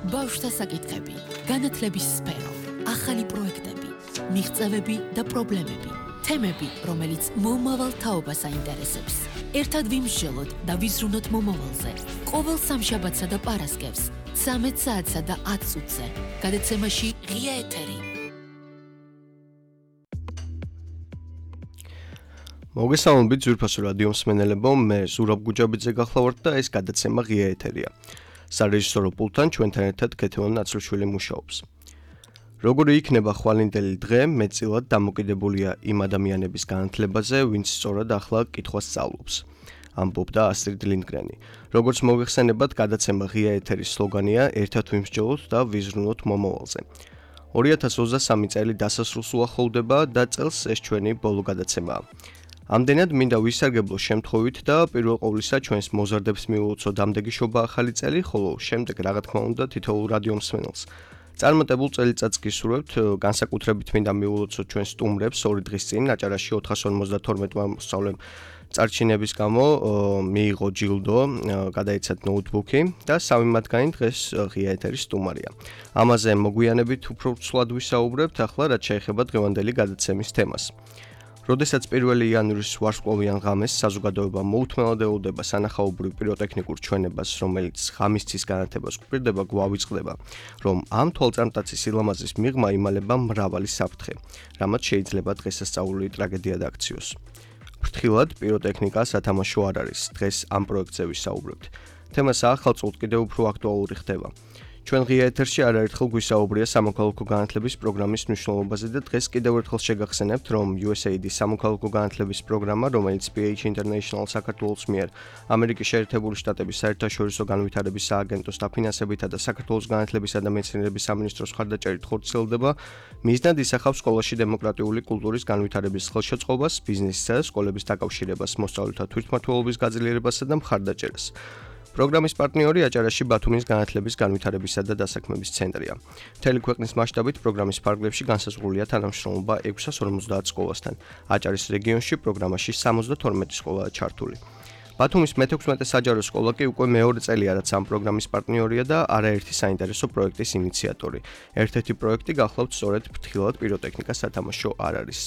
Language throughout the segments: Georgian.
ბავშვთა საკითხები, განათლების სფერო, ახალი პროექტები, მიღწევები და პრობლემები, თემები, რომელიც მომავალ თაობას აინტერესებს. ერთად ვიმსჯელოთ და ვიზრუნოთ მომავალზე. ყოველ სამშაბათსა და პარასკევს, 13 საათსა და 10 წუთზე. გადაცემაში ღია ეთერი. მოგესალმებით ძვირფასო რადიო მსმენელებო, მე ზურაბ გუჯაბიძე გახლავართ და ეს გადაცემა ღია ეთერია. სარეჟისორო პულტთან ჩვენთან ერთად ქეთევან ნაცრუშვილი მუშაობს. როგორი იქნება ხვალინდელი დღე, მეტწილად დამოკიდებულია იმ ადამიანების განათლებაზე, ვინც სწორად ახლა კითხვას სწავლობს. ამბობდა ასტრიდ ლინდგრენი. როგორც მოგეხსენებათ, გადაცემა ღია ეთერის სლოგანია ერთად ვიმსჯელოთ და ვიზრუნოთ მომავალზე. 2023 წელი დასასრულს უახლოვდება და წელს ეს ჩვენი ბოლო გადაცემაა. ამდენად მინდა ვისარგებლო შემთხვევით და პირველ ყოვლისა ჩვენს მოზარდებს მიულოცო დამდეგი შობა ახალი წელი, ხოლო შემდეგ რა თქმა უნდა თითოეულ რადიო მსმენელს. წარმატებულ წელიწადს გისურვებთ, განსაკუთრებით მინდა მიულოცო ჩვენ სტუმრებს 2 დღის წინ აჭარაში 452-მა მოსწავლემ წარჩინების გამო მიიღო ჯილდო, გადაეცათ ნოუთბუქი და სამი მათგანი დღეს ღია ეთერის სტუმარია. ამაზე მოგვიანებით უფრო ცვლად ვისაუბრებთ, ახლა რაც შეეხება დღევანდელი გადაცემის თემას. როდესაც 1 იანვრის ვარსკვლავიან ღამეს საზოგადოება მოუთმენლად ელოდება სანახაობრივ პიროტექნიკურ ჩვენებას, რომელიც ღამისცის განათებას გვპირდება, გვავიწყდება, რომ ამ თვალწარმტაცის სილამაზის მიღმა იმალება მრავალი საფრთხე, რამაც შეიძლება დღესასწაული ტრაგედია დაქციოს. ფრთხილად პიროტექნიკა სათამაშო არ არის, დღეს ამ პროექტზე ვისაუბრებთ. თემა საახალწლოდ კიდევ უფრო აქტუალური ხდება. ჩვენ ღია ეთერში არაერთხელ გვისაუბრია სამოქალაქო განათლების პროგრამის მნიშვნელობაზე და დღეს კიდევ ერთხელ შეგახსენებთ, რომ USAID-ის სამოქალაქო განათლების პროგრამა, რომელიც PH International საქართველოს მიერ ამერიკის შეერთებული შტატების საერთაშორისო განვითარების სააგენტოს დაფინანსებითა და საქართველოს განათლებისა და მეცნიერების სამინისტროს მხარდაჭერით ხორციელდება, მიზნად ისახავს სკოლაში დემოკრატიული კულტურის განვითარების ხელშეწყობას, ბიზნესსა და სკოლების დაკავშირებას, მოსწავლეთა თვითმმართველობის გაძლიერებასა და მხარდაჭერას. პროგრამის პარტნიორი აჭარაში ბათუმის განათლების განვითარებისა და დასაქმების ცენტრია. მთელი ქვეყნის მასშტაბით პროგრამის ფარგლებში განსაზღვრულია თანამშრომლობა 650 სკოლასთან. აჭარის რეგიონში პროგრამაში 72 სკოლაა ჩართული. ბათუმის მე-16 საჯარო სკოლა კი უკვე მეორე წელია, რაც ამ პროგრამის პარტნიორია და არაერთი საინტერესო პროექტის ინიციატორი. ერთ-ერთი პროექტი გახლავთ სწორედ ფრთხილად პიროტექნიკა სათამაშო არ არის.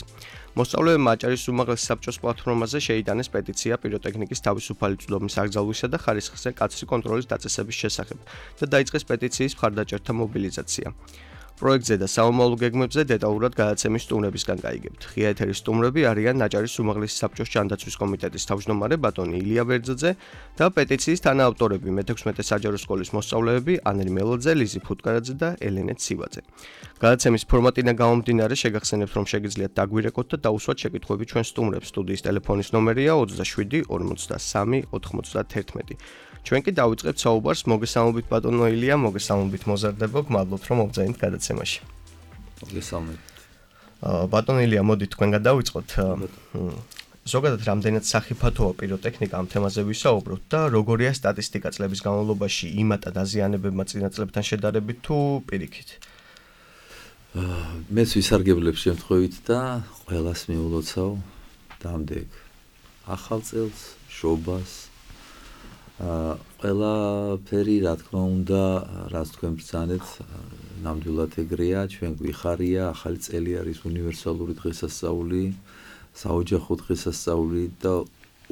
მოსწავლეებმა აჭარის უმაღლეს საბჭოს პლატფორმაზე შეიტანეს პეტიცია პიროტექნიკის თავისუფალი წვდომის აკრძალვისა და ხარისხზე კაცრი კონტროლის დაწესების შესახებ და დაიწყეს პეტიციის მხარდაჭერთა მობილიზაცია. პროექტზე და საომავლო გეგმებზე დეტალურად გადაცემის სტუმრებისგან გაიგებთ. ღია ეთერის სტუმრები არიან აჭარის უმაღლესი საბჭოს ჯანდაცვის კომიტეტის თავმჯდომარე ბატონი ილია ვერძაძე და პეტიციის თანაავტორები მე-16 საჯარო სკოლის მოსწავლეები ანრი მელოძე, ლიზი ფუტკარაძე და ელენე ცივაძე. გადაცემის ფორმატიდან გამომდინარე შეგახსენებთ, რომ შეგიძლიათ დაგვირეკოთ და დაუსვათ შეკითხვები ჩვენ სტუმრებს. სტუდიის ტელეფონის ნომერია 27 53 91. ჩვენ კი დავიწყებთ საუბარს. მოგესალმებით ბატონო ილია, მოგესალმებით მოზარდებო, გმადლობთ რომ მოგზაინთ გადაცემაში. მოგესალმებით. ბატონო ილია, მოდით თქვენგან დავიწყოთ. ზოგადად რამდენად სახიფათოა პიროტექნიკა ამ თემაზე ვისაუბროთ და როგორია სტატისტიკა წლების განმავლობაში იმატა დაზიანებებმა წინა წლებთან შედარებით თუ პირიქით? მეც ვისარგებლებ შემთხვევით და ყველას მიულოცავ დამდეგ ახალ წელს, შობას. ყველაფერი რა თქმა უნდა, რაც თქვენ ბრძანეთ, ნამდვილად ეგრეა, ჩვენ გვიხარია, ახალი წელი არის უნივერსალური დღესასწაული, საოჯახო დღესასწაული და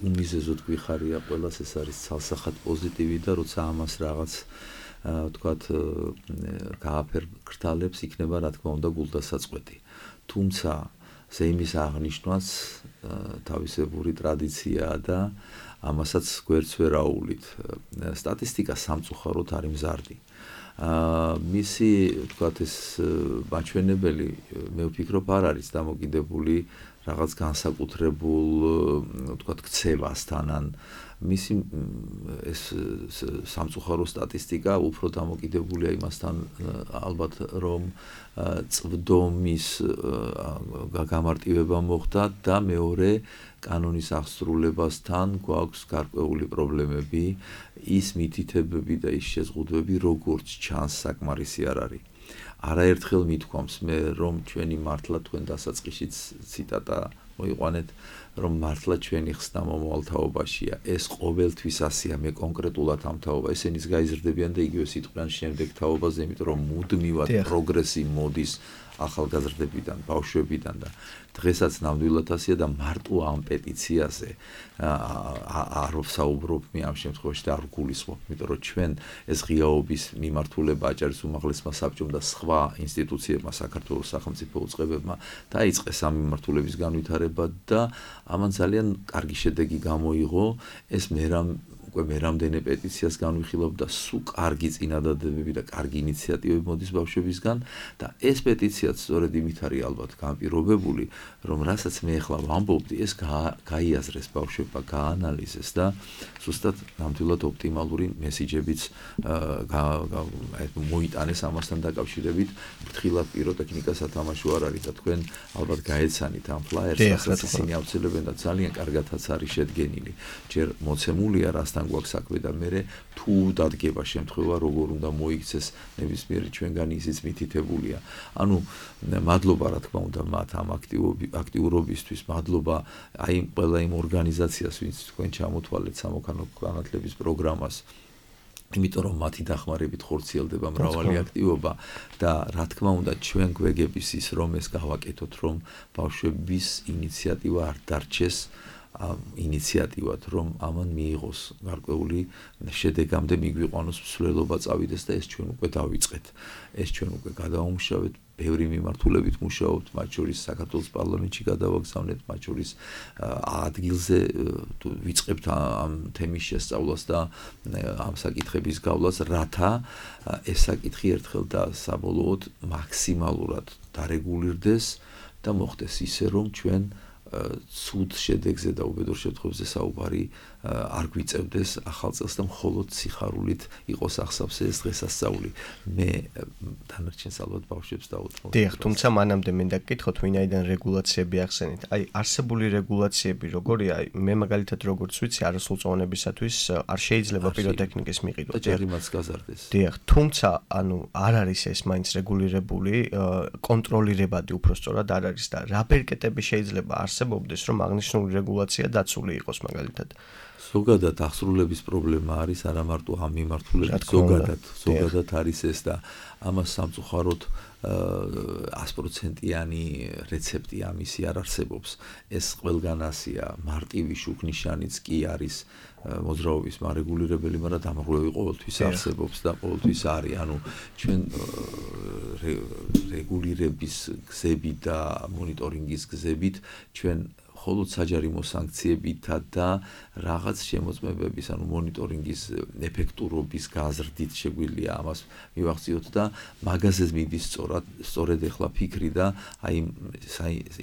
უმიზეზოდ გვიხარია ყველას, ეს არის ცალსახად პოზიტივი და როცა ამას რაღაც თქვათ გააფერგრთალებს, იქნება რა თქმა უნდა გულდასაწყვეტი. თუმცა ზეიმის აღნიშვნაც თავისებური ტრადიციაა და ამასაც გვერდს ვერ აუვლით. სტატისტიკა სამწუხაროდ არის მზარდი. მისი თქვათ ეს მაჩვენებელი მე ვფიქრობ არ არის დამოკიდებული რაღაც განსაკუთრებულ თქვათ ქცევასთან ან მისი ეს სამწუხარო სტატისტიკა უფრო დამოკიდებულია იმასთან ალბათ რომ წვდომის გამარტივება მოხდა და მეორე კანონის აღსრულებასთან გვაქვს გარკვეული პრობლემები, ის მითითებები და ის შეზღუდვები როგორც ჩანს საკმარისი არ არის. არაერთხელ მithქვამს მე რომ ჩვენი მართლა თქვენ დასაწყისშიც ციტატა მოიყვანეთ რომ მართლა ჩვენი ხსნა მომავალთაობაშია. ეს ყოველთვის ასეა, მე კონკრეტულად ამ თაობა ესენის გაიზრდებიან და იგივე სიტყვიან შემდეგ თაობაზე, იმიტომ რომ მუდმივად პროგრესი მოდის ახალგაზრდებიდან, ბავშვებიდან და დღესაც ნამდვილად ასეა და მარტო ამ პეტიციაზე არ ვსაუბრობ მე ამ შემთხვევაში და არ გულისხმობ, იმიტომ რომ ჩვენ ეს ღიაობის მიმართულება აჭარის უმაღლესმა საბჭომ და სხვა ინსტიტუციებმა საქართველოს სახელმწიფო უწყებებმა დაიწყეს ამ მიმართულების განვითარება და ამან ძალიან კარგი შედეგი გამოიღო. ეს მე რამდენი პეტიციას განვიხილავ და სულ კარგი წინადადებები და კარგი ინიციატივები მოდის ბავშვებისგან და ეს პეტიციაც სწორედ იმით არის ალბათ განპირობებული, რომ რასაც მე ახლა ვამბობდი, ეს გაიაზრეს ბავშვებმა, გაანალიზეს და ზუსტად ნამდვილად ოპტიმალური მესიჯებიც მოიტანეს ამასთან დაკავშირებით. ფრთხილად პიროტექნიკა სათამაშო არ არის და თქვენ ალბათ გაეცანით ამ ფლაიერს, რასაც ისინი ავრცელებენ და ძალიან კარგადაც არის შედგენილი. ჯერ მოცემულია რასთან გვაქვს საქმე და მე თუ დადგება შემთხვევა როგორ უნდა მოიქცეს ნებისმიერი ჩვენგანი ისიც მითითებულია. ანუ მადლობა რა თქმა უნდა მათ ამ აქტიურობისთვის, მადლობა აი ყველა იმ ორგანიზაციას, ვინც თქვენ ჩამოთვალეთ სამოქანო განათლების პროგრამას. იმიტომ რომ მათი დახმარებით ხორციელდება მრავალი აქტივობა და რა თქმა უნდა ჩვენ გვეგების ის რომ ეს გავაკეთოთ, რომ ბავშვების ინიციატივა არ დარჩეს ინიციატივად, რომ ამან მიიღოს გარკვეული შედეგამდე მიგვიყვანოს მსვლელობა წავიდეს და ეს ჩვენ უკვე დავიწყეთ. ეს ჩვენ უკვე გადავამუშავეთ, ბევრი მიმართულებით მუშაობთ, მათ შორის საქართველოს პარლამენტში გადავაგზავნეთ, მათ შორის ადგილზე ვიწყებთ ამ თემის შესწავლას და ამ საკითხების გავლას, რათა ეს საკითხი ერთხელ და საბოლოოდ მაქსიმალურად დარეგულირდეს და მოხდეს ისე, რომ ჩვენ ცუდ შედეგზე და უბედურ შემთხვევებზე საუბარი არ გვიწევდეს ახალ წელს და მხოლოდ სიხარულით იყოს ახსავსე ეს დღესასწაული. მე დანარჩენს ალბათ ბავშვებს დავუთმობ. დიახ, თუმცა მანამდე მინდა გკითხოთ, ვინაიდან რეგულაციები ახსენეთ. აი, არსებული რეგულაციები როგორია? მე მაგალითად როგორც ვიცი, არასრულწლოვანებისათვის არ შეიძლება პიროტექნიკის მიყიდვა. და ჯერიმაც გაზარდეს. დიახ, თუმცა ანუ არ არის ეს მაინც რეგულირებული, კონტროლირებადი უბრალოდ არ არის და რა ბერკეტები შეიძლება არსებობდეს, რომ აღნიშნული რეგულაცია დაცული იყოს მაგალითად. ზოგადად აღსრულების პრობლემა არის არა მარტო ამ მიმართულებით, ზოგადად არის ეს და ამას სამწუხაროდ 100%-იანი რეცეპტი ამისი არ არსებობს. ეს ყველგან ასია, მარტივი შუქნიშანიც კი არის მოძრაობის მარეგულირებელი, მაგრამ დამღვრევი ყოველთვის არსებობს და ყოველთვის არის. ანუ ჩვენ რეგულირების გზებით და მონიტორინგის გზებით ჩვენ მხოლოდ საჯარიმო სანქციებითა და რაღაც შემოწმებების, ანუ მონიტორინგის ეფექტურობის გაზრდით შეგვიძლია ამას მივახციოთ და მაგაზე მიდის სწორედ ახლა ფიქრი და აი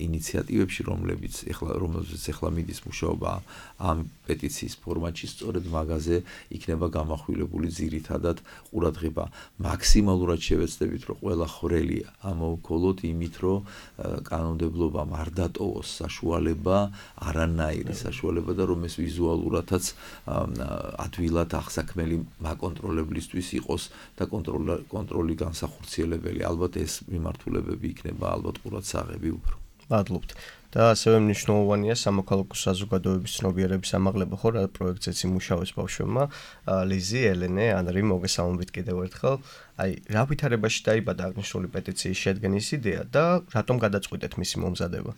ინიციატივებში, რომელზეც ახლა მიდის მუშაობა ამ პეტიციის ფორმატში, სწორედ მაგაზე იქნება გამახვილებული ძირითადად ყურადღება. მაქსიმალურად შევეცდებით, რომ ყველა ხვრელი ამოვქოლოთ იმით, რომ კანონმდებლობამ არ დატოვოს საშუალება, არანაირი საშუალება და რომ ეს ვიზუალურადაც ადვილად აღსაქმელი მაკონტროლებლისთვის იყოს და კონტროლი განსახორციელებელი. ალბათ ეს მიმართულებები იქნება ალბათ ყურადსაღები უფრო. მადლობთ. და ასევე მნიშვნელოვანია სამოქალაქო საზოგადოების ცნობიერების ამაღლება, ხო, რა პროექტზეც იმუშავებს ბავშვებმა. ლიზი, ელენე, ანრი, მოგესალმებით კიდევ ერთხელ. აი, რა ვითარებაში დაიბადა აღნიშნული პეტიციის შედგენის იდეა და რატომ გადაწყვიტეთ მისი მომზადება?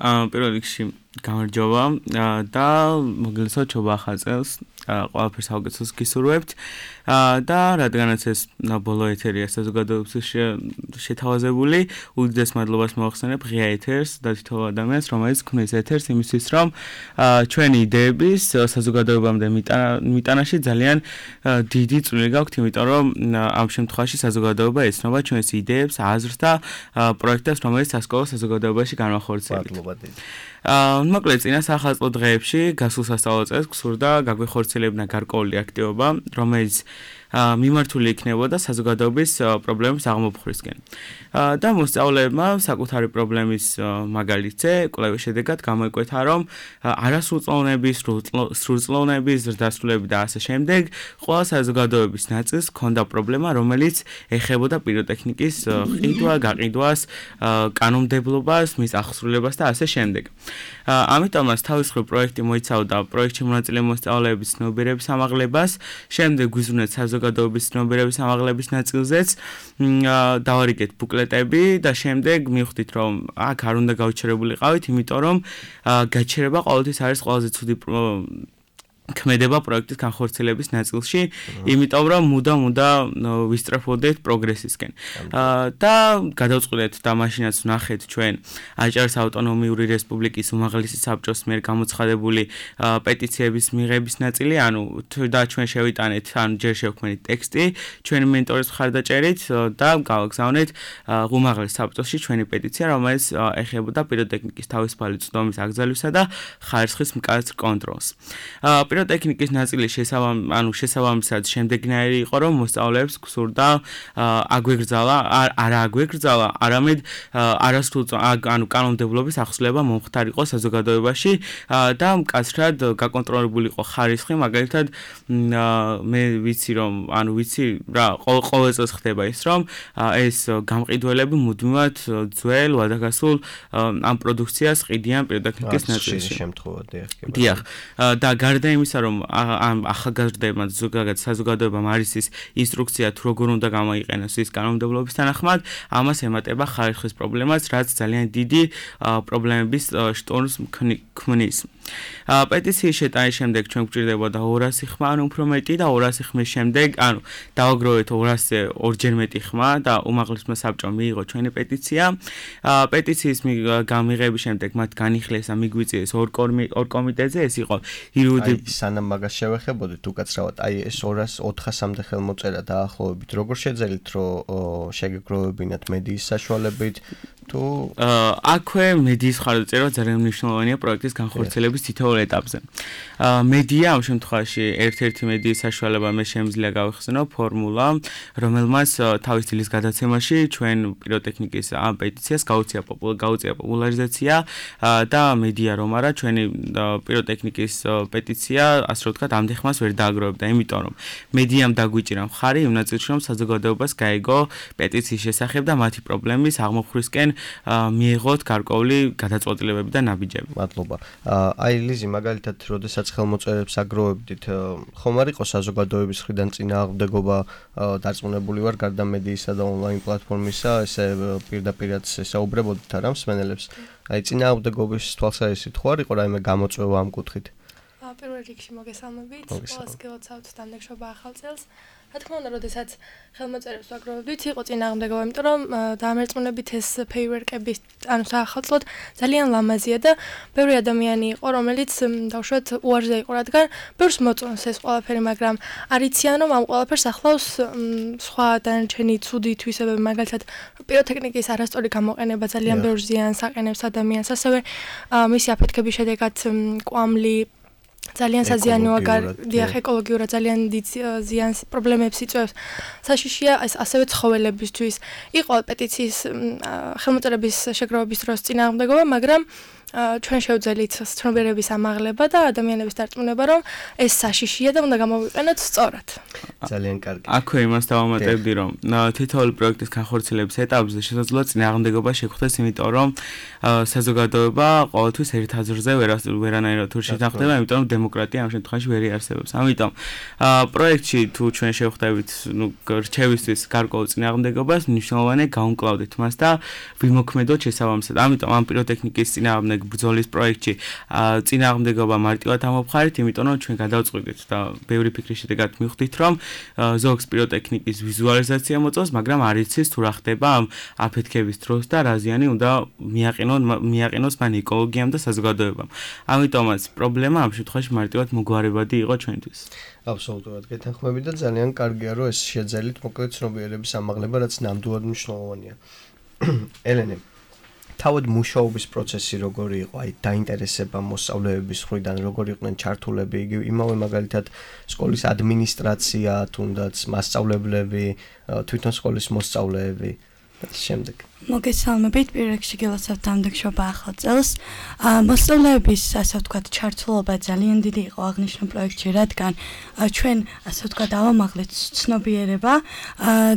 პირველ რიგში გამარჯობა და მოგესალმებით ჩობა ახალ წელს. ყველაფერს საუკეთესოს გისურვებთ და რადგანაც ეს ბოლო ეთერია საზოგადოების შეთავაზებული, უდიდეს მადლობას მოახსენებ ღია ეთერს და თითოეულ ადამიანს, რომელიც ქმნის ეთერს იმისთვის, რომ ჩვენი იდეების საზოგადოებამდე მიტანაში ძალიან დიდი წვლილი გაქვთ, იმიტომ რომ ამ შემთხვევაში საზოგადოება ეცნობა ჩვენს იდეებს, აზრს და პროექტებს, რომელიც სასკოლო საზოგადოებაში განვახორციელებთ. მოკლედ წინა სახალხო დღეებში გასულ სასწავლო წელს გსურდა გაგვეხორციელებინა გარკვეული აქტივობა, რომელიც მიმართული იქნებოდა საზოგადოების პრობლემების აღმოფხვრისკენ. და მოსწავლეებმა საკუთარი პრობლემის მაგალითზე კვლევის შედეგად გამოიკვეთა, რომ არასრულწლოვნების, სრულწლოვნების, ზრდასრულები და ასე შემდეგ ყველა საზოგადოების ნაწილს ჰქონდა პრობლემა, რომელიც ეხებოდა პიროტექნიკის ყიდვა, გაყიდვას, კანონმდებლობას, მის აღსრულებას და ასე შემდეგ. ამიტომაც თავისუფლ პროექტი მოიცავდა პროექტში მონაწილე მოსწავლეების ცნობიერების ამაღლებას, შემდეგ გვიზრუნეთ საზოგადოების ცნობიერების ამაღლების ნაწილზეც, დავარიგეთ ბუკლეტები და შემდეგ მივხვდით, რომ აქ არ უნდა გავჩერებულიყავით, იმიტომ რომ გაჩერება ყოველთვის არის ყველაზე ცუდი ქმედება პროექტის განხორციელების ნაწილში, იმიტომ რომ მუდამ ვისწრაფოდეთ პროგრესისკენ. და გადავწყვეტეთ და მაშინაც ვნახეთ ჩვენ აჭარის ავტონომიური რესპუბლიკის უმაღლესი საბჭოს მიერ გამოცხადებული პეტიციების მიღების ნაწილი, ანუ და ჩვენ შევიტანეთ, ანუ ჯერ შევქმნით ტექსტი ჩვენი მენტორის მხარდაჭერით და გავაგზავნეთ უმაღლეს საბჭოში ჩვენი პეტიცია, რომელიც ეხებოდა პიროტექნიკის თავისუფალი წვდომის აკრძალვისა და ხარისხის მკაცრ კონტროლს. პიროტექნიკის ნაწილი შესაბამისად შემდეგნაირი იყო, რომ მოსწავლეებს გსურდა აგვეგრძალა, არა აგვეგრძალა, არამედ ანუ კანონმდებლობის ახსნება მომხდარიყო საზოგადოებაში და მკაცრად გაკონტროლებული იყო ხარისხი, მაგალითად მე ვიცი რა ყოველ წელს ხდება ის, რომ ეს გამყიდველები მუდმივად ძველ ვადაგასულ ამ პროდუქციას ყიდიან პიროტექნიკის ნაწილში. დიახ. და გარდა იმისა, რომ ამ ახალგაზრდებმა ზოგადად საზოგადოებამ არის ის ინსტრუქცია თუ როგორ უნდა გამოიყენოს ის კანონმდებლობის თანახმად, ამას ემატება ხარისხის პრობლემას, რაც ძალიან დიდი პრობლემების შტორმს ქმნის. პეტიციის შეტანის შემდეგ ჩვენ გვჭირდებოდა 200 ხმა, ანუ უფრო მეტი და 200 ხმის შემდეგ, ანუ დავაგროვეთ 200-ზე ორჯერ მეტი ხმა და უმაღლესმა საბჭომ მიიღო ჩვენი პეტიცია. პეტიციის გამიღების შემდეგ მათ განიხილეს და მიგვიწიეს ორ კომიტეტზე, ეს იყო სანამ მაგას შევეხებოდით უკაცრავად, ეს 200-400-მდე ხელმოწერა დაახლოებით როგორ შეძელით, რომ შეგეგროვებინათ მედიის საშუალებით თუ აქვე მედიის მხარდაჭერა ძალიან მნიშვნელოვანია პროექტის განხორციელების თითოეულ ეტაპზე. მედია ამ შემთხვევაში ერთ-ერთი მედიის საშუალება მე შემიძლია გავიხსენო ფორმულა, რომელმაც თავის დილის გადაცემაში ჩვენ პიროტექნიკის ამ პეტიციას გაუწია პოპულარიზაცია და მედია რომ არა ჩვენი პიროტექნიკის პეტიცია ასე რომ ვთქვათ ამდენ ხმას ვერ დააგროვებდა, იმიტომ რომ მედიამ დაგვიჭირა მხარი იმ ნაწილში, რომ საზოგადოებას გაიგო პეტიციის შესახებ და მათი პრობლემის აღმოფხვისკენ მიიღოთ გარკვეული გადაწყვეტილებები და ნაბიჯები. მადლობა. ლიზი, მაგალითად, როდესაც ხელმოწერებს აგროვებდით, ხომ არ იყო საზოგადოების მხრიდან წინააღმდეგობა დარწმუნებული ვარ გარდა მედიისა და ონლაინ პლატფორმისა, ესე პირდაპირაც ესაუბრებოდით არა მსმენელებს. წინააღმდეგობის თვალსაზრისით ხო არ იყო რაიმე გამოწვევა ამ კუთხით? პირველ რიგში მოგესალმებით, ყველას გილოცავთ დამნექშობა ახალ წელს. რა თქმა უნდა, როდესაც ხელმოწერებს ვაგროვებდით, იყო წინააღმდეგობა, იმიტომ რომ დამერწმუნებით ეს ფეივერკები, ანუ საახალწლოდ ძალიან ლამაზია და ბევრი ადამიანი იყო, რომელიც დავუშვათ უარზე იყო, რადგან ბევრს მოწონს ეს ყველაფერი, მაგრამ არიციან რომ ამ ყველაფერს ახლავს სხვა დანარჩენი ცუდი თვისებები, მაგალითად პიროტექნიკის არასწორი გამოყენება ძალიან ბევრ ზიანს აყენებს ადამიანს, ასევე მისი აფეთქების შედეგად კვამლი ძალიან საზიანოა ეკოლოგიურად ძალიან დიდ ზიანს პრობლემებს იწვევს. საშიშია ასევე ცხოველებისთვის. იყო პეტიციის ხელმოწერების შეგროვების დროს წინააღმდეგობა, მაგრამ ჩვენ შევძელით ცნობიერების ამაღლება და ადამიანების დარწმუნება, რომ ეს საშიშია და უნდა გამოვიყენოთ სწორად. ძალიან კარგი. აქვე იმას დავამატებდი, რომ თითოეული პროექტის განხორციელების ეტაპზე შესაძლოა წინააღმდეგობა შეხვდეს, იმიტომ რომ საზოგადოება ყოველთვის ერთ აზრზე ვერანაირად თუ შეთანხმდება, იმიტომ რომ დემოკრატია ამ შემთხვევაში ვერ იარსებობს. ამიტომ პროექტში თუ ჩვენ შევხვდებით, რჩევისთვის გარკვეულ წინააღმდეგობას, მნიშვნელოვანია გავუმკლავდეთ მას და ვიმოქმედოთ შესაბამისად. ამიტომ ამ პიროტექნიკის წინააღმდეგ ბრძოლის პროექტში წინააღმდეგობა მარტივად ამოვხარით, იმიტომ რომ ჩვენ გადავწყვეტით და ბევრი ფიქრის შედეგად მივხვდით, რომ ზოგს პიროტექნიკის ვიზუალიზაცია მოწონს, მაგრამ არ იცის თუ რა ხდება ამ აფეთქების დროს და რა ზიანი უნდა მიაყენოს მან ეკოლოგიამ და საზოგადოებამ. ამიტომაც პრობლემა ამ შემთხვევაში მარტივად მოგვარებადი იყო ჩვენთვის. აბსოლუტურად გეთანხმები და ძალიან კარგია, რომ ეს შეძელით მოკლედ ცნობიერების ამაღლება, რაც ნამდვილად მნიშვნელოვანია. ელენე, თავად მუშაობის პროცესი როგორი იყო? აი დაინტერესება მოსწავლეების მხრიდან როგორი იყვნენ ჩართულები? იგივე იმავე მაგალითად სკოლის ადმინისტრაცია, თუნდაც მასწავლებლები, თვითონ სკოლის მოსწავლეები შემდეგ. მოგესალმებით, პირველ რიგში გილოცავთ დამდეგშობა ახალ წელს. მოსწავლეების, ასე ვთქვათ, ჩართულობა ძალიან დიდი იყო აღნიშნულ პროექტში, რადგან ჩვენ, ასე ვთქვათ, ავამაღლეთ ცნობიერება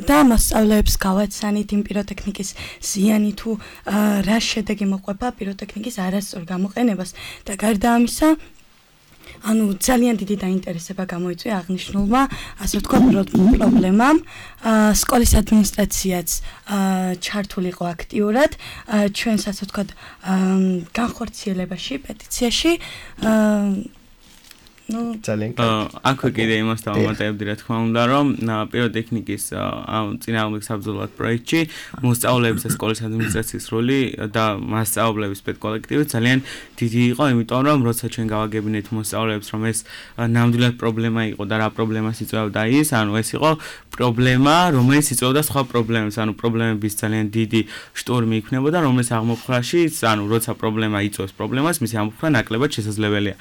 და მოსწავლეებს გავაცანით იმ პიროტექნიკის ზიანი თუ რა შედეგი მოყვება პიროტექნიკის არასწორ გამოყენებას და გარდა ამისა ანუ ძალიან დიდი დაინტერესება გამოიწვია აღნიშნულმა, ასე ვთქვათ, პრობლემამ. სკოლის ადმინისტრაციაც ჩართული იყო აქტიურად ჩვენს, ასე ვთქვათ, განხორციელებაში, პეტიციაში. აქ კიდე იმას დავამატებდი, რა თქმა უნდა, რომ პიროტექნიკის წინააღმდეგ საბრძოლო პროექტში მოსწავლეების და სკოლის ადმინისტრაციის როლი და მასწავლებლების პედკოლექტივი ძალიან დიდი იყო, იმიტომ რომ როცა ჩვენ გავაგებინეთ მოსწავლეებს, რომ ეს ნამდვილად პრობლემა იყო და რა პრობლემას იწვევდა ის, ანუ ეს იყო პრობლემა, რომელიც იწვევდა სხვა პრობლემებს, ანუ პრობლემების ძალიან დიდი შტორმი იქნებოდა, რომელიც აღმოფხრაში, ანუ როცა პრობლემა იწვევს პრობლემას, მისი აღმოფხრა ნაკლებად შესაძლებელია.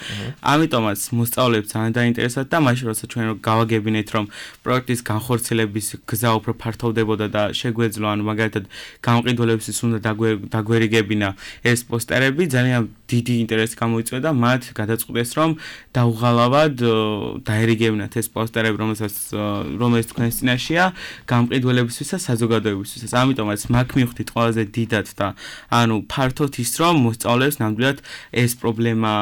ამიტომაც მოსწავლეებს ძალიან დაინტერესებდა და მაშინ როცა ჩვენ გავაგებინეთ, რომ პროექტის განხორციელების გზა უფრო ფართოვდებოდა და შეგვეძლო, ანუ მაგალითად გამყიდველებისთვის უნდა დაგვერიგებინა ეს პოსტერები, ძალიან დიდი ინტერესი გამოიწვია და მათ გადაწყვიტეს, რომ დაუღალავად დაერიგებინათ ეს პოსტერები, რომელიც თქვენს წინაშეა, გამყიდველებისთვის და საზოგადოებისთვის. ამიტომაც მაგ მივხვდით ყველაზე დიდად და ანუ ფართოდ ის, რომ მოსწავლეებს ნამდვილად ეს პრობლემა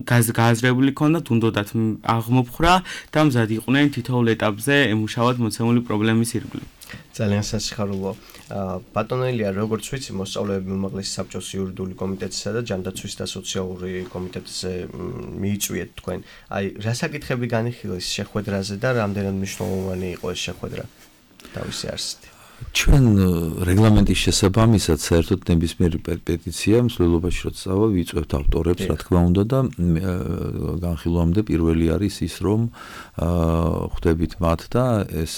გააზრებული ქონდათ, უნდათ აღმოფხრა და მზად იყვნენ თითოეულ ეტაპზე ემუშავათ მოცემული პრობლემის ირგვლივ. ძალიან სასიხარულო. ბატონელია, როგორც ვიცი, მოსწავლეები უმაღლესი საბჭოს იურიდიული კომიტეტისა და ჯანდაცვის და სოციალური კომიტეტზე მიიწვიეთ თქვენ. აი, რა საკითხები განიხილეს შეხვედრაზე და რამდენად მნიშვნელოვანი იყო ეს შეხვედრა თავისი არსით? ჩვენ რეგლამენტის შესაბამისად საერთოდ ნებისმიერი პეტიცია მსვლელობაში როცა ვიწვევთ ავტორებს, რა თქმა უნდა და განხილვამდე პირველი არის ის, რომ ხვდებით მათ და ეს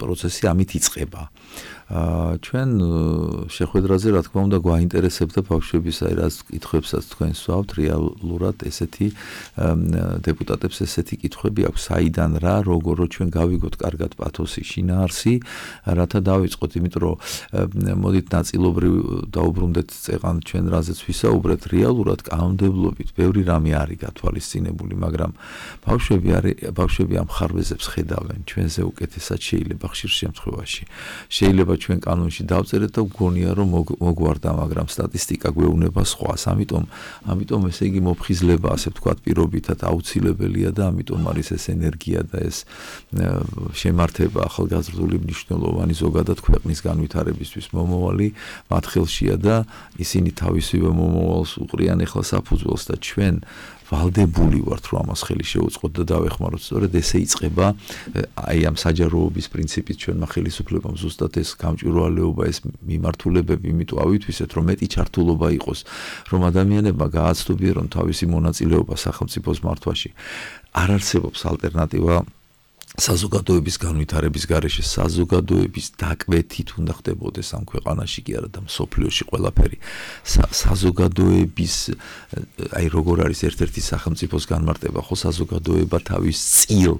პროცესი ამით იწყება. ჩვენ შეხვედრაზე რა თქმა უნდა გვაინტერესებდა ბავშვების აი რა კითხვებსაც თქვენ სვავთ რეალურად ესეთი დეპუტატებს ესეთი კითხვები აქვს საიდან რა როგორ ჩვენ გავიგოთ კარგად პათოსი შინაარსი რათა დავიწყოთ იმიტომ რომ მოდით ნაწილობრივ დაუბრუნდეთ წეღან ჩვენ რაზეც ვისაუბრეთ რეალურად კანონმდებლობით ბევრი რამე არის გათვალისწინებული მაგრამ ბავშვები ამ ხარვეზებს ხედავენ ჩვენზე უკეთესად შეიძლება ხშირ შემთხვევაში შეიძლება ჩვენ კანონში დავწერეთ და ვგონია რომ მოგვარდა მაგრამ სტატისტიკა გვეუბნება სხვას ამიტომ ესე იგი მოფხიზლება ასე ვთქვათ პირობითად აუცილებელია და ამიტომ არის ეს ენერგია და ეს შემართება ახალგაზრდული მნიშვნელოვანი ზოგადად ქვეყნის განვითარებისთვის მომავალი მათ ხელშია და ისინი თავისივე მომავალს უყრიან ახლა საფუძველს და ჩვენ ვალდებული ვართ რომ ამას ხელი შეუწყოთ და დავეხმაროთ სწორედ ესე იწყება აი ამ საჯაროობის პრინციპით ჩვენმა ხელისუფლებამ ზუსტად ეს გამჭვირვალეობა ეს მიმართულებები იმიტომ ავითვისეთ რომ მეტი ჩართულობა იყოს რომ ადამიანებმა გააცნობიერონ თავისი მონაწილეობა სახელმწიფოს მართვაში არ არსებობს ალტერნატივა საზოგადოების განვითარების გარეშე საზოგადოების დაკვეთით უნდა ხდებოდეს ამ ქვეყანაში კი არა და მსოფლიოში ყველაფერი საზოგადოების აი როგორ არის ერთ-ერთი სახელმწიფოს განმარტება ხო საზოგადოება თავის წილ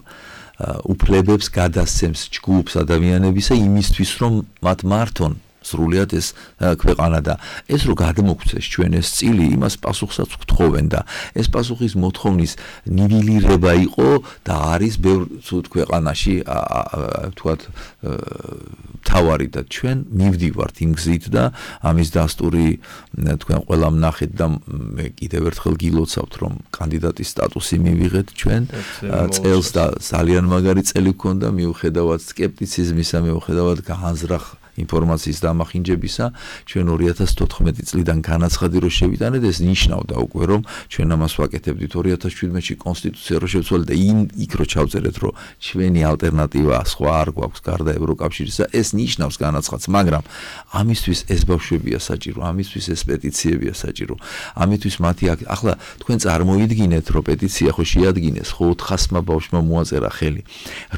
უფლებებს გადასცემს ჯგუფს ადამიანებისა იმისთვის რომ მათ მართონ სრულიად ეს ქვეყანა და ეს რო გადმოგვცეს ჩვენ ეს წილი იმას პასუხსაც გთხოვენ და ეს პასუხის მოთხოვნის ნივილირება იყო და არის ბევრ ცუდ ქვეყანაში თქვათ თავარი და ჩვენ მივდივართ იმ გზით და ამის დასტური თქვენ ყველამ ნახეთ და მე კიდევ ერთხელ გილოცავთ რომ კანდიდატის სტატუსი მივიღეთ ჩვენ წელს და ძალიან მაგარი წელი გქონდა მიუხედავად სკეპტიციზმისა მიუხედავად განზრახ ინფორმაციის დამახინჯებისა ჩვენ 2014 წლიდან განაცხადი რომ შევიტანეთ ეს ნიშნავდა უკვე რომ ჩვენ ამას ვაკეთებდით 2017-ში კონსტიტუცია რო შევცვალეთ და იქ რო ჩავწერეთ რომ ჩვენი ალტერნატივა სხვა არ გვაქვს გარდა ევროკავშირისა ეს ნიშნავს განაცხადს მაგრამ ამისთვის ეს ბავშვებია საჭირო ამისთვის ეს პეტიციებია საჭირო ამისთვის მათი ახლა თქვენ წარმოიდგინეთ რომ პეტიცია ხო შეადგინეს ხო 400-მა ბავშვმა მოაწერა ხელი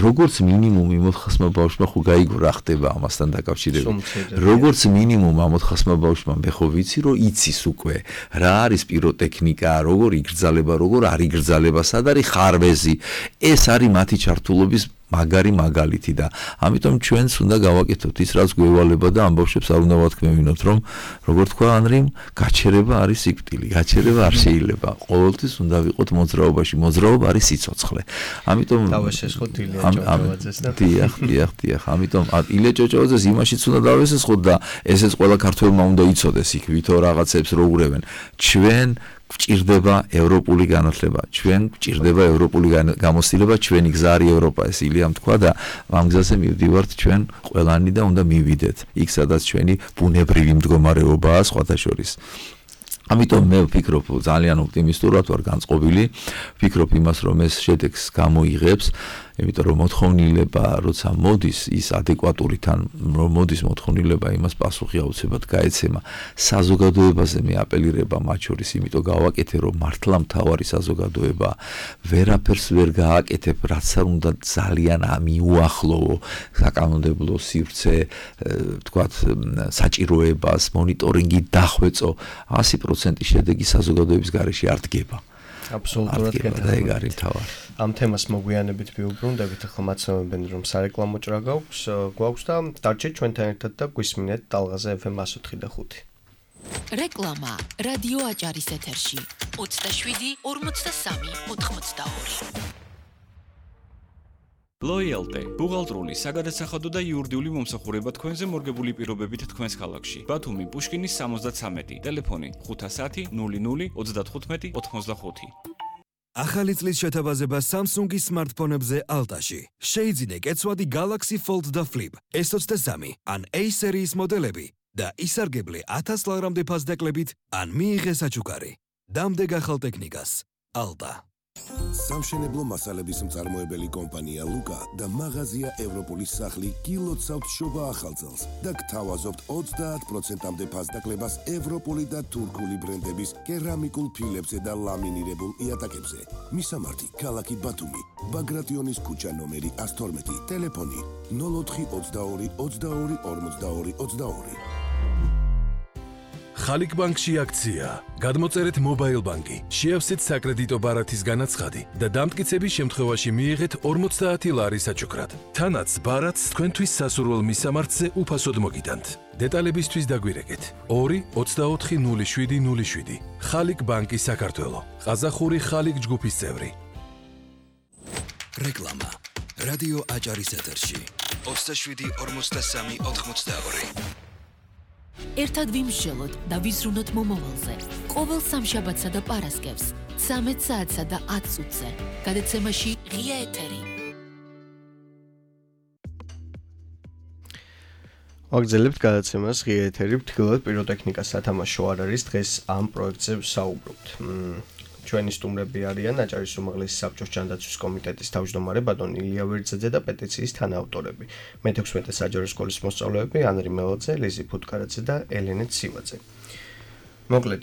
როგორც მინიმუმი 400-მა ბავშვმა ხო გაიგო რა ხდება ამასთან დაკავშირებით მოკავშირეები. როგორც მინიმუმ ამ 400 ბავშვმა მე ხო ვიცი რომ იცის უკვე რა არის პიროტექნიკა, როგორ იგრძალება, როგორ არ იგრძალება, სად არის ხარვეზი. ეს არის მათი ჩართულობის მაგარი მაგალითი და ამიტომ ჩვენც უნდა გავაკეთოთ ის რაც გვევალება და ამ ბავშვებს არ უნდა ვათქმევინოთ რომ როგორ თქვა ანრიმ გაჩერება არის სიკვდილი, გაჩერება არ შეიძლება. ყოველთვის უნდა ვიყოთ მოძრაობაში, მოძრაობა არის სიცოცხლე. ამიტომ დავესესხოთ ილია ჭოჭოვაძეს და დიახ, ამიტომ ილია ჭოჭოვაძეს იმაშიც უნდა დავესესხოთ და ესეც ყველა ქართველმა უნდა იცოდეს იქ ვითო რაღაცებს რო ურევენ. ჩვენ გვჭირდება ევროპული განათლება, ჩვენ გვჭირდება ევროპული გამოცდილება, ჩვენი გზა არის ევროპა, ეს ილიამ თქვა და ამ გზაზე მივდივართ ჩვენ ყველანი და უნდა მივიდეთ იქ, სადაც ჩვენი ბუნებრივი მდგომარეობაა სხვათა შორის. ამიტომ მე ვფიქრობ ძალიან ოპტიმისტურად ვარ განწყობილი, ვფიქრობ იმას რომ ეს შედეგს გამოიღებს, იმიტომ რომ მოთხოვნილება როცა მოდის ის ადეკვატური თან რომ მოდის მოთხოვნილება იმას პასუხი აუცილებლად გაეცემა. საზოგადოებაზე მე აპელირება მათ შორის, იმიტომ გავაკეთე რომ მართლა მთავარი საზოგადოება ვერაფერს ვერ გააკეთებ, რაც არ უნდა ძალიან მიუახლოვო საკანონმდებლო სივრცე, თქვათ საჭიროებას, მონიტორინგი დახვეწო, 100% შედეგი საზოგადოების გარეშე არ დგება. აბსოლუტურად და ეგ არის თავი. ამ თემას მოგვიანებით ვიუბრუნდებით, ახლა მაცნობენ რომ სარეკლამო ჭრა გვაქვს და დარჩეთ ჩვენთან ერთად და გვისმინეთ ტალღაზე FM 104.5. რეკლამა რადიო აჭარის ეთერში 27 43 82. Loyalty ბუღალტრული, საგადასახადო და იურიდიული მომსახურება თქვენზე მორგებული პირობებით თქვენს ქალაქში. ბათუმი, პუშკინის 73, ტელეფონი 510 00 35 85. ახალი წლის შეთავაზება Samsung-ის smartphone-ებზე Alta-ში. შეიძინე კეცვადი Galaxy Fold და Flip S23 ან A სერიის მოდელები და ისარგებლე 1000 ლარამდე ფასდაკლებით ან მიიღე საჩუქარი. დამდეგ ახალ ტექნიკას. Alta. სამშენებლო მასალების მწარმოებელი კომპანია ლუკა და მაღაზია ევროპულის სახლი გილოცავთ შობა ახალწელს და გთავაზობთ 30%-მდე ფასდაკლებას ევროპული და თურქული ბრენდების კერამიკულ ფილებზე და ლამინირებულ იატაკებზე. მისამართი ქალაქი ბათუმი, ბაგრატიონის ქუჩა ნომერი 112, ტელეფონი 04 22 22 42 22. ხალიქ ბანკში აქცია. გადმოწერეთ მობაილ ბანკი, შეავსეთ საკრედიტო ბარათის განაცხადი და დამტკიცების შემთხვევაში მიიღეთ 50 ლარის საჩუქრად. თანაც ბარათს თქვენთვის სასურველ მისამართზე უფასოდ მოგიტანთ. დეტალებისთვის დაგვირეკეთ 2 24 07 07. ხალიქ ბანკი საქართველო. ყაზახური ხალიქ ჯგუფის წევრი. რეკლამა რადიო აჭარის ეთერში 27 43 82. ერთად ვიმსჯელოთ და ვიზრუნოთ მომავალზე. ყოველ სამშაბათსა და პარასკევს 13 საათსა და 10 წუთზე. გადაცემაში ღია ეთერი. ვაგრძელებთ გადაცემას ღია ეთერი, ვთქვათ პიროტექნიკას სათამაშო არ არის, დღეს ამ პროექტზე ვსაუბრობთ. ჩვენი სტუმრები არიან აჭარის უმაღლესი საბჭოს ჯანდაცვის კომიტეტის თავმჯდომარე ბატონი ილია ვერძაძე და პეტიციის თანაავტორები. მე-16 საჯარო სკოლის მოსწავლეები ანრი მელოძე, ლიზი ფუტკარაძე და ელენე ცივაძე. მოკლედ,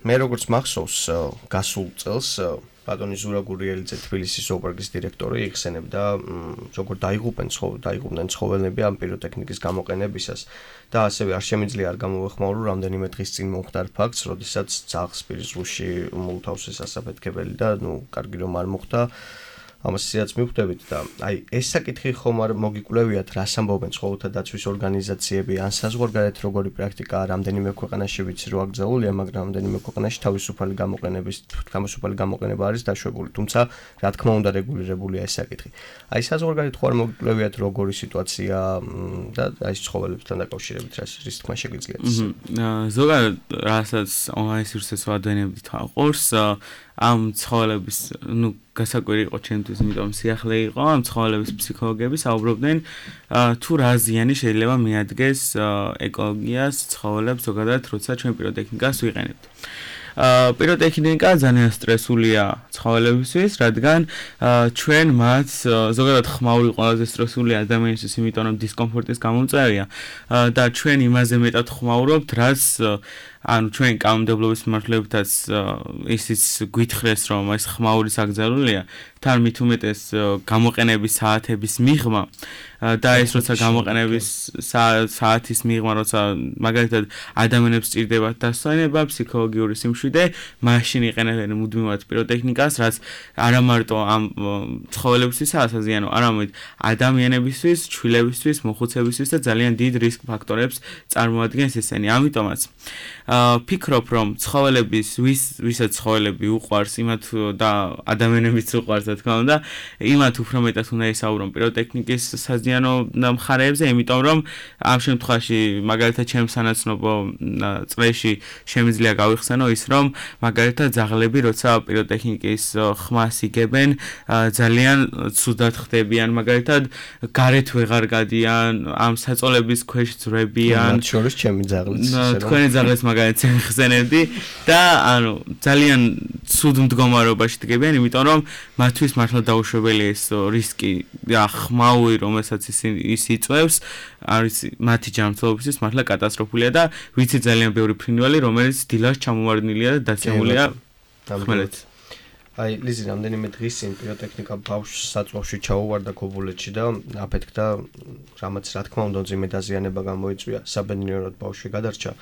მე როგორც მახსოვს, გასულ წელს ბატონი ზურა გურიელიძე თბილისის ზოოპარკის დირექტორი იხსენებდა, როგორ დაიღუპნენ ცხოველები ამ პიროტექნიკის გამოყენებისას და ასევე არ შემიძლია არ გამოვეხმაურო რამდენიმე დღის წინ მომხდარ ფაქტს, როდესაც ძაღლს პირისგუში მოუთავსეს ასაფეთქებელი და კარგი რომ არ მოხდა. ამასაც მივხვდებით და აი ეს საკითხი ხომ არ მოგიკვლევიათ, რას ამბობენ ცხოველთა დაცვის ორგანიზაციები, ან საზღვარგარეთ როგორი პრაქტიკაა, რამდენიმე ქვეყანაში ვიცი რომ აკრძალულია, მაგრამ რამდენიმე ქვეყანაში თავისუფალი გამოყენება არის დაშვებული, თუმცა რა თქმა უნდა რეგულირებულია ეს საკითხი. აი საზღვარგარეთ ხო არ მოგიკვლევიათ როგორი სიტუაცია და აი ცხოველებთან დაკავშირებით რის თქმა შეგიძლიათ? ზოგადად რასაც ონლაინ სივრცეს ვადენებთ აყურს ამ ცხოველების, გასაკვირი იყო ჩემთვის, იმიტომ სიახლე იყო ამ ცხოველების ფსიქოლოგები საუბრობდნენ თუ რა ზიანი შეიძლება მიადგეს ეკოლოგიას, ცხოველებს ზოგადად, როცა ჩვენ პიროტექნიკას ვიყენებთ. პიროტექნიკა ძალიან სტრესულია ცხოველებისთვის, რადგან ჩვენ მათ ზოგადად ხმაური ყველაზე სტრესული ადამიანისთვის, იმიტომ რომ დისკომფორტის გამომწვევია და ჩვენ იმაზე მეტად ხმაურობთ, რაც ანუ ჩვენ კანონმდებლობის მიმართულებითაც ისიც გვითხრეს რომ ეს ხმაური საგზავნილია თან მით უმეტეს გამოყენების საათების მიღმა და ეს როცა გამოყენების საათის მიღმა როცა მაგალითად ადამიანებს სჭირდებათ დასვენება ფსიქოლოგიური სიმშვიდე მაშინ იყენებენ მუდმივად პიროტექნიკას რაც არა მარტო ამ ცხოველებისთვისაა საზიანო არამედ ადამიანებისთვის ჩვილებისთვის მოხუცებისთვის და ძალიან დიდ რისკ ფაქტორებს წარმოადგენს ესენი ამიტომაც ფიქრობ რომ ცხოველების ვისაც ცხოველები უყვარს იმათ და ადამიანებიც უყვარს რა თქმა უნდა იმათ უფრო მეტად უნდა ისაუბრონ პიროტექნიკის საზიანო მხარეებზე იმიტომ რომ ამ შემთხვევაში მაგალითად ჩემს სანაცნობო წრეში შემიძლია გავიხსენო ის რომ მაგალითად ძაღლები როცა პიროტექნიკის ხმას იგებენ ძალიან ცუდად ხდებიან მაგალითად გარეთ ვეღარ გადიან ამ საწოლების ქვეშ ძვრებიან მათ შორის ჩემი ძაღლიც თქვენი ძაღლიც მაგალითად ხსენებდი და ანუ ძალიან ცუდ მდგომარეობაში დგებიან იმიტომ რომ მათთვის მართლა დაუშვებელია ეს რისკი ხმაური რომელსაც ის იწვევს არის მათი ჯანმრთელობისთვის მართლა კატასტროფულია და ვიცი ძალიან ბევრი ფრინველი რომელიც დილას ჩამოვარდნილია და დაცემულია ხმელეთს აი ლიზი რამდენიმე დღის წინ პიროტექნიკა ბავშვს საწვავში ჩაუვარდა ქობულეთში და აფეთქდა რამაც რა თქმა უნდა ძიმე დაზიანება გამოიწვია საბედნიეროდ ბავშვი გადარჩა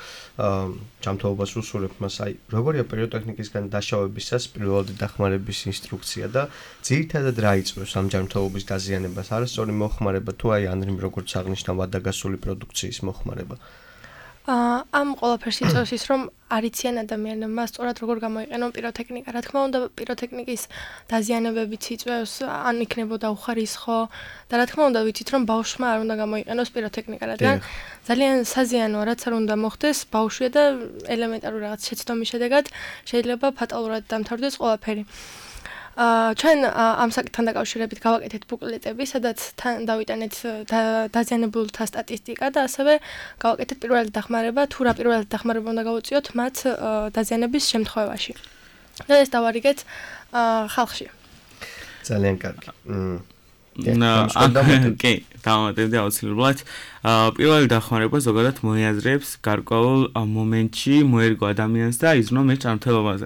ჯანმრთელობას უსურვებ მას აი როგორია პიროტექნიკისგან დაშავებისას პირველადი დახმარების ინსტრუქცია და ძირითადად რა იწვევს ამ ჯანმრთელობის დაზიანებას არასწორი მოხმარება თუ აი ანრიმ როგორც აღნიშნავ ადაგასული პროდუქციის მოხმარება ამ ყველაფერს იწევს ის რომ არიციან ადამიანებმა სწორად როგორ გამოიყენონ პიროტექნიკა. რა თქმა უნდა, პიროტექნიკის დაზიანებებიც იწვევს, ან იქნებოდა უხარისხო და რა თქმა უნდა, ვიცით რომ ბავშვმა არ უნდა გამოიყენოს პიროტექნიკა, რადგან ძალიან საზიანოა, რაც არ უნდა მოხდეს ბავშვია და ელემენტარული რაღაც შეცდომის შედეგად შეიძლება ფატალურად დამთავრდეს ყველაფერი. ჩვენ ამ საკითხთან დაკავშირებით გავაკეთეთ ბუკლეტები, სადაც თან დავიტანეთ დაზიანებულთა სტატისტიკა და ასევე გავაკეთეთ პირველი დახმარება, თუ რა პირველი დახმარება უნდა გავუწიოთ მათ დაზიანების შემთხვევაში. და ეს დავარიგეთ ხალხში. ძალიან კარგი. კი, დავამატებდი აუცილებლად. პირველი დახმარება ზოგადად მოიაზრებს გარკვეულ მომენტში მოერგო ადამიანს და იზრუნო მე ჯანმრთელობაზე.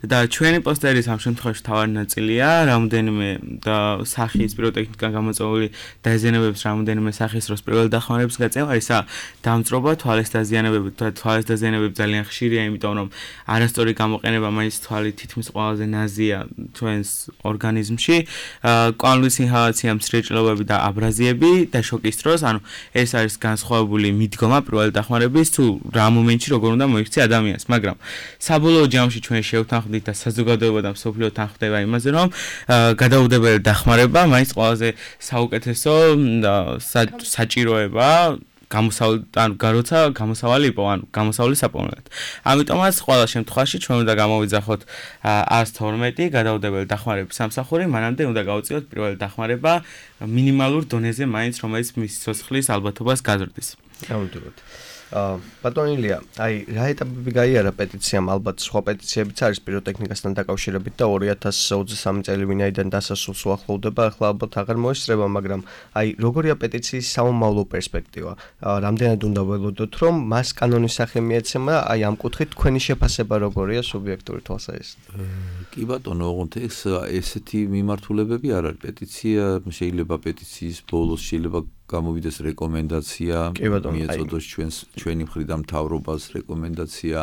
და ჩვენი პოსტერის ამ შემთხვევაში თავარი ნაწილია რამდენიმე და სახის პიროტექნიკიდან გამოწვეული დაზიანებებს რამდენიმე სახის დროს პირველი დახმარების გაწევა ისა დამწრობა თვალის დაზიანებები თვალის დაზიანებები ძალიან ხშირია იმიტომ რომ არასწორი გამოყენება მაინც თვალი თითქმის ყველაზე ნაზია ჩვენს ორგანიზმში კვანტური ინჰალაცია მცირეჭრილობები და აბრაზიები და შოკის დროს ანუ ეს არის განსხვავებული მიდგომა პირველი დახმარების თუ რა მომენტში როგორ უნდა მოიქცე ადამიანს, მაგრამ საბოლოო ჯამში ჩვენ შევთანხმდით და საზოგადოება და მსოფლიო თანხმდება იმაზე, რომ გადაუდებელი დახმარება მაინც ყველაზე საუკეთესო საჭიროება როცა გამოსავალი იყო, ანუ გამოსავლის საპოვნელად. ამიტომაც ყველა შემთხვევაში ჩვენ უნდა გამოვიძახოთ 112 გადაუდებელი დახმარების სამსახური, მანამდე უნდა გავუწიოთ პირველი დახმარება მინიმალურ დონეზე მაინც, რომელიც მის სიცოცხლის ალბათობას გაზრდის. გამოდიოთ. ბატონილია, აი რა ეტაპები გაიარა პეტიციამ, ალბათ სხვა პეტიციებიც არის პიროტექნიკასთან დაკავშირებით და 2023 წელი ვინაიდან დასასრულს უახლოვდება, ახლა ალბათ აღარ მოესწრება, მაგრამ აი როგორია პეტიციის სამომავლო პერსპექტივა? რამდენად უნდა ველოდოთ, რომ მას კანონის სახე მიეცემა, აი ამ კუთხით თქვენი შეფასება როგორია სუბიექტური თვალსაზრისით? კი ბატონო, ოღონდ ესეთი მიმართულებები არ არის. პეტიცია შეიძლება პეტიციის ბოლოს შეიძლება გამოვიდეს რეკომენდაცია, მიეწოდოს ჩვენი მხრიდან მთავრობას რეკომენდაცია.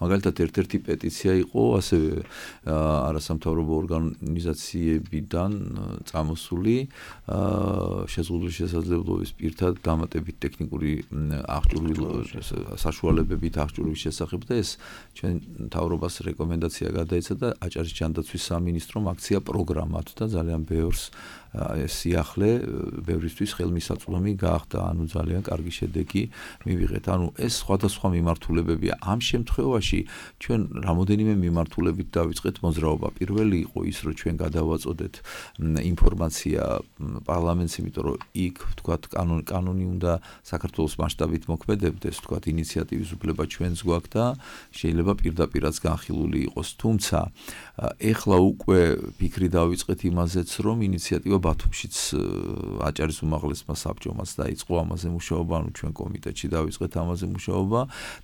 მაგალითად, ერთ-ერთი პეტიცია იყო ასევე არასამთავრობო ორგანიზაციებიდან წამოსული შეზღუდული შესაძლებლობის პირთა დამატებით ტექნიკური საშუალებებით აღჭურვილის შესახებ და ეს ჩვენ მთავრობას რეკომენდაცია გადაეცა და აჭარის ჯანდაცვის სამინისტრომ აქცია პროგრამად და ძალიან ბევრს სიახლე ბევრისთვის ხელმისაწვდომი გაახდა, ანუ ძალიან კარგი შედეგი მივიღეთ. ანუ ეს სხვადასხვა მიმართულებებია. ამ შემთხვევაში ჩვენ რამოდენიმე მიმართულებით დავიწყეთ მოძრაობა. პირველი იყო ის, რომ ჩვენ გადავაწოდეთ ინფორმაცია პარლამენტს, იმიტომ რომ იქ ვთქვათ კანონი უნდა საქართველოს მასშტაბით მოქმედებდეს, ვთქვათ ინიციატივის უფლება ჩვენს გვაქვს და შეიძლება პირდაპირაც განხილული იყოს. თუმცა ეხლა უკვე ფიქრი დავიწყეთ იმაზეც, რომ ინიციატივა ბათუმშიც აჭარის უმაღლესმა საბჭომაც დაიწყო ამაზე მუშაობა, ანუ ჩვენ კომიტეტში დავიწყეთ ამაზე მუშაობა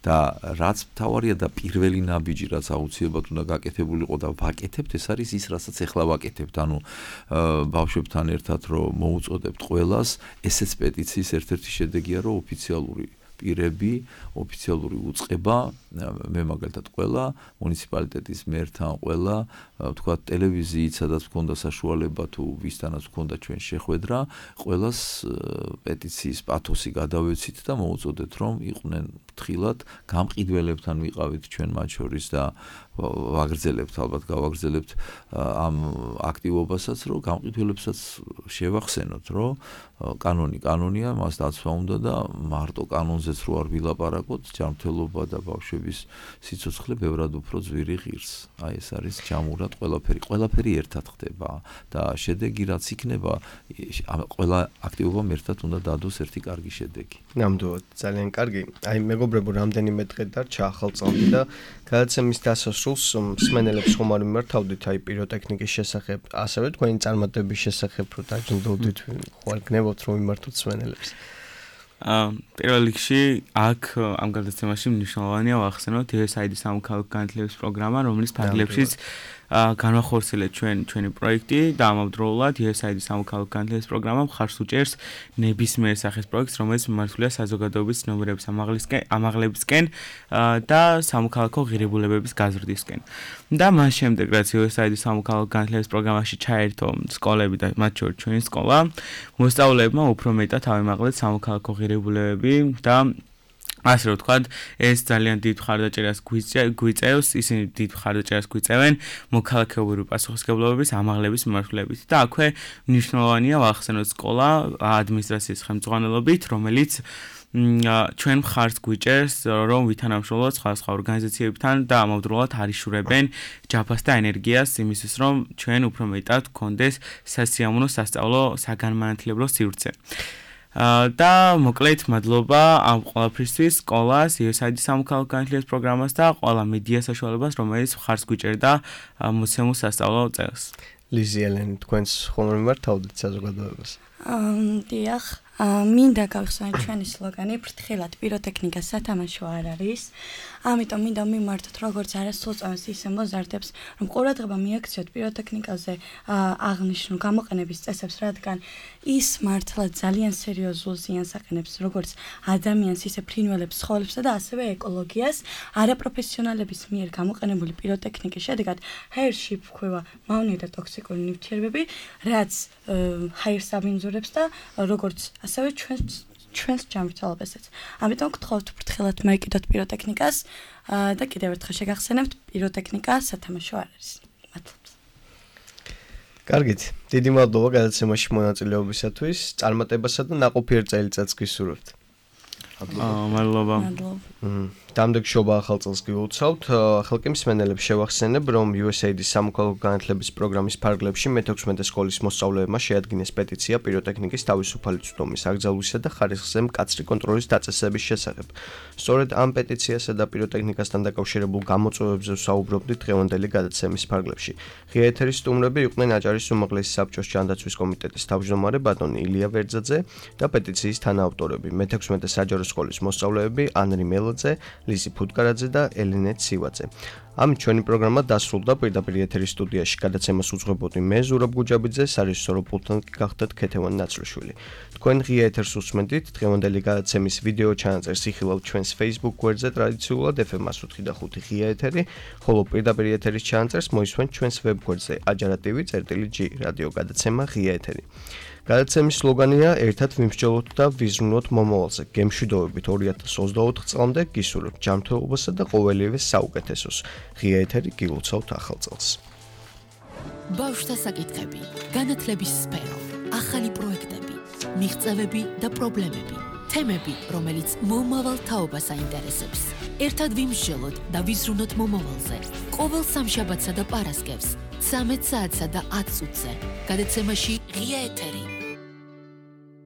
და რაც მთავარია და პირველი ნაბიჯი რაც აუცილებლად უნდა გაკეთებულიყო და ვაკეთებთ, ეს არის ის, რასაც ახლა ვაკეთებთ, ანუ ბავშვებთან ერთად რომ მოუწოდებთ ყველას, ესეც პეტიციის ერთ-ერთი შედეგია, რომ ოფიციალური პირები, ოფიციალური უწყება, მე მაგალითად ყველა მუნიციპალიტეტის მერთან ყველა, თქვა ტელევიზიით, სადაც მქონდა საშუალება თუ ვისთანაც მქონდა ჩვენ შეხვედრა, ყველას პეტიციის პათოსი გადავეცით და მოუწოდეთ, რომ იყვნენ ფრთხილად, გამყიდველებთან ვიყავით ჩვენ მათ შორის და ვაგრძელებთ, ალბათ გავაგრძელებთ ამ აქტივობასაც, რომ გამყიდველებსაც შევახსენოთ, რომ კანონია, მას დაცვა უნდა და მარტო კანონზეც რო არ ვილაპარაკოთ, ჯანმრთელობა და ბავშვების სიცოცხლე ბევრად უფრო ძვირი ღირს. აი ეს არის ჯამურად ყველაფერი ერთად ხდება და შედეგი რაც იქნება, ყველა აქტივობამ ერთად უნდა დადოს ერთი კარგი შედეგი. ნამდვილად, ძალიან კარგი. აი მეგობრებო, რამდენიმე დღე დარჩა ახალწლამდე და გადაცემის დასასრულს მსმენელებს ხომ არ მიმართავდით აი პიროტექნიკის შესახებ, ასევე თქვენი წარმატების შესახებ რო დაჯილდოვდით, ხوار გნებოთ რომ მიმართოთ მსმენელებს. პირველ რიგში აქ ამ გადაცემაში მნიშვნელოვანია ვახსენოთ USAID-ის სამოქალაქო განათლების პროგრამა, რომლის ფარგლებშიც განვახორციელეთ ჩვენი პროექტი და ამავდროულად USAID-ის სამოქალაქო განათლების პროგრამა მხარს უჭერს ნებისმიერ სახის პროექტს, რომელიც მიმართულია საზოგადოების ცნობიერების ამაღლებისკენ და სამოქალაქო ღირებულებების გაზრდისკენ. და მას შემდეგ, რაც USAID-ის სამოქალაქო განათლების პროგრამაში ჩაერთო სკოლები და მათ შორის ჩვენი სკოლა, მოსწავლეებმა უფრო მეტად ავიმაღლეთ სამოქალაქო ღირებულებები და ასე რომ ვთქვათ, ეს ძალიან დიდ მხარდაჭერას გვიწევს, ისინი დიდ მხარდაჭერას გვიწევენ მოქალაქეობრივი პასუხისმგებლობის ამაღლების მიმართულებით. და აქვე მნიშვნელოვანია ვახსენოთ სკოლა ადმინისტრაციის ხელმძღვანელობით, რომელიც ჩვენ მხარს გვიჭერს, რომ ვითანამშრომლოთ სხვადასხვა ორგანიზაციებთან და ამავდროულად არიშურებენ ჯაფას და ენერგიას იმისთვის, რომ ჩვენ უფრო მეტად გქონდეს სასიამოვნო სასწავლო საგანმანათლებლო სივრცე. და მოკლედ მადლობა ამ ყველაფრისთვის სკოლას, USAID-ის სამოქალაქო განათლების პროგრამას და ყველა მედია საშუალებას, რომელიც მხარს გვიჭერდა მოცემულ სასწავლო წელს. ლიზი ელენი, თქვენს ხომ მიმართავდით საზოგადოებას? დიახ, მინდა გავხსენოთ ჩვენი სლოგანი ფრთხილად პიროტექნიკა სათამაშო არ არის. ამიტომ მინდა მიმართოთ როგორც არასრულ წამს ისე მოზარდებს, რომ ყურადღება მიაქციოთ პიროტექნიკაზე აღნიშნულ გამოყენების წესებს, რადგან ის მართლა ძალიან სერიოზულ ზიანს აყენებს როგორც ადამიანს, ისე ფრინველებს, ცხოველებსა და ასევე ეკოლოგიას. არაპროფესიონალების მიერ გამოყენებული პიროტექნიკის შედეგად ჰაერში ფქვევა მავნე და ტოქსიკური ნივთიერებები, რაც ჰაერს აბინძურებს და როგორც ასევე ჩვენს ჯანმრთელობასაც. ამიტომ გთხოვთ ფრთხილად მოეკიდოთ პიროტექნიკას და კიდევ ერთხელ შეგახსენებთ, პიროტექნიკა სათამაშო არ არის. მადლობა. კარგით, დიდი მადლობა გადაცემაში მონაწილეობისათვის, წარმატებასა და ნაყოფიერ წელიწადს გისურვებთ. მადლობა. დამდეგშობა ახალ წელს გიუცავთ. ხალხი მსმენელებს შევახსენებ, რომ USAID-ის სამოქალაქო განათლების პროგრამის ფარგლებში მე-16 სკოლის მოსწავლეებმა შეადგინეს პეტიცია პიროტექნიკის თავისუფალი წვდომის აკრძალვისა და ხარისხზე მკაცრი კონტროლის დაწესების შესახებ. სწორედ ამ პეტიციასა და პიროტექნიკასთან დაკავშირებულ გამოწვევებზე ვსაუბრობდით დღევანდელი გადაცემის ფარგლებში. ღია ეთერის სტუმრები იყვნენ აჭარის უმაღლესი საბჭოს ჯანდაცვის კომიტეტის თავმჯდომარე ბატონი ილია ვერძაძე და პეტიციის თანაავტორები მე-16 საჯარო სკოლის მოსწავლეები ანრი მელოძე, ლიზი ფუტკარაძე და ელენე ცივაძე. ამით ჩვენი პროგრამა დასრულდა. პირდაპირ ეთერის სტუდიაში გადაცემას უძღვებოდი მე ზურაბ გუჯაბიძე, სარეჟისორო პულტთან გახდათ ქეთევან ნაცრიშვილი. თქვენ ღია ეთერს უსმენთ. დღევანდელი გადაცემის ვიდეო ჩანაწერს იხილავთ ჩვენს Facebook გვერდზე ტრადიციულად FM105 ღია ეთერი, ხოლო პირდაპირ ეთერის ჩანაწერს მოისმენთ ჩვენს ვებ გვერდზე ajara.tv/g რადიო გადაცემა ღია ეთერი. გადაცემის სლოგანია ერთად ვიმსჯელოთ და ვიზრუნოთ მომავალზე. გემშვიდობებით 2024 წლამდე გისურვებთ ჯანმრთელობასა და ყოველივე საუკეთესოს. ღია ეთერი გილოცავთ ახალ წელს. ბავშვთა საკითხები, განათლების სფერო, ახალი პროექტები, მიღწევები და პრობლემები, თემები, რომელიც მომავალ თაობას აინტერესებს. ერთად ვიმსჯელოთ და ვიზრუნოთ მომავალზე. ყოველ სამშაბათსა და პარასკევს 13 საათსა და 10 წუთზე. გადაცემაში ღია ეთერი.